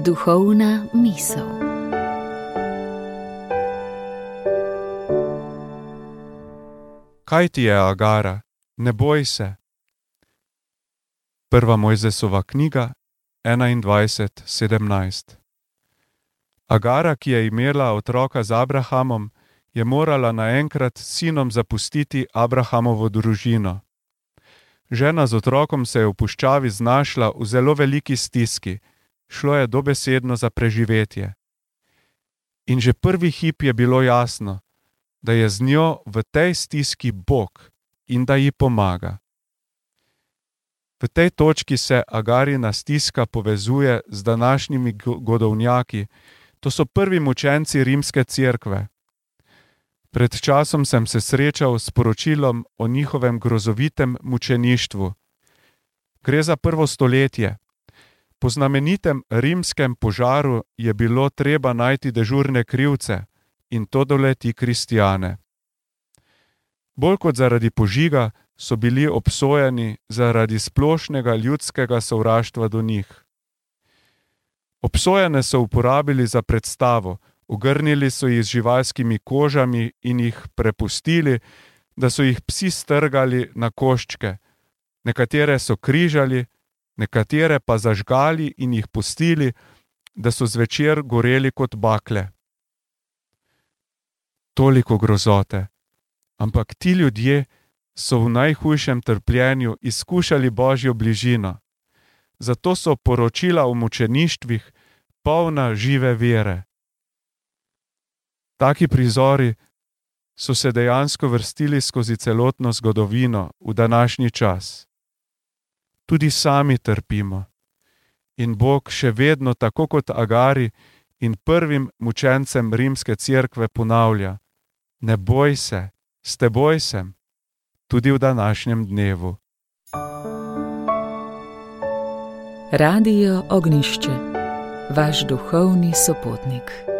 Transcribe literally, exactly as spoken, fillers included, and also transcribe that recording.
Duhovna misel. Kaj ti je, Agara? Ne boj se. Prva Mojzesova knjiga, enaindvajset sedemnajst. Agara, ki je imela otroka z Abrahamom, je morala naenkrat s sinom zapustiti Abrahamovo družino. Žena z otrokom se je v puščavi znašla v zelo veliki stiski, šlo je dobesedno za preživetje. In že prvi hip je bilo jasno, da je z njo v tej stiski Bog in da ji pomaga. V tej točki se Agarina stiska povezuje z današnjimi godovnjaki, to so prvi mučenci rimske cerkve. Pred časom sem se srečal s poročilom o njihovem grozovitem mučeništvu. Gre za prvo stoletje. Po znamenitem rimskem požaru je bilo treba najti dežurne krivce in to doleti kristjane. Bolj kot zaradi požiga so bili obsojeni zaradi splošnega ljudskega sovraštva do njih. Obsojene so uporabili za predstavo, ogrnili so jih z živalskimi kožami in jih prepustili, da so jih psi strgali na koščke. Nekatere so križali, nekatere pa zažgali in jih pustili, da so zvečer goreli kot bakle. Toliko grozote, ampak ti ljudje so v najhujšem trpljenju izkušali Božjo bližino. Zato so poročila o mučeništvih polna žive vere. Taki prizori so se dejansko vrstili skozi celotno zgodovino v današnji čas. Tudi sami trpimo. In Bog še vedno, tako kot Agari in prvim mučencem rimske cerkve ponavlja: ne boj se, s teboj sem, tudi v današnjem dnevu. Radio Ognjišče, vaš duhovni sopotnik.